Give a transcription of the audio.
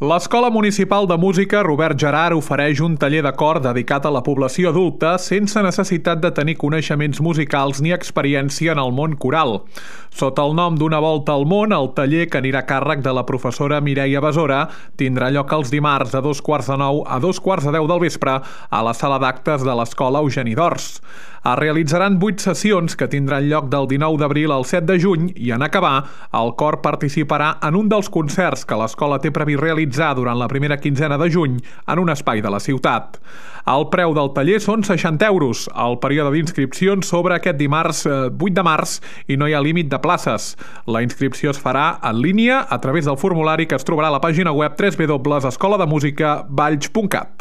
L'Escola Municipal de Música Robert Gerard ofereix un taller de cor dedicat a la població adulta sense necessitat de tenir coneixements musicals ni experiència en el món coral. Sota el nom d'Una volta al món, el taller, que anirà a càrrec de la professora Mireia Besora, tindrà lloc els dimarts de 8:45 a 10:45 del vespre a la sala d'actes de l'Escola Eugeni d'Ors. Es realitzaran 8 sessions que tindran lloc del 19 d'abril al 7 de juny i, en acabar, el cor participarà en un dels concerts que l'escola té previst realitzar durant la primera quinzena de juny en un espai de la ciutat. El preu del taller són 60 euros. El període d'inscripcions s'obre aquest dimarts 8 de març i no hi ha límit de places. La inscripció es farà en línia a través del formulari que es trobarà a la pàgina web www.escolademusicavalls.cat.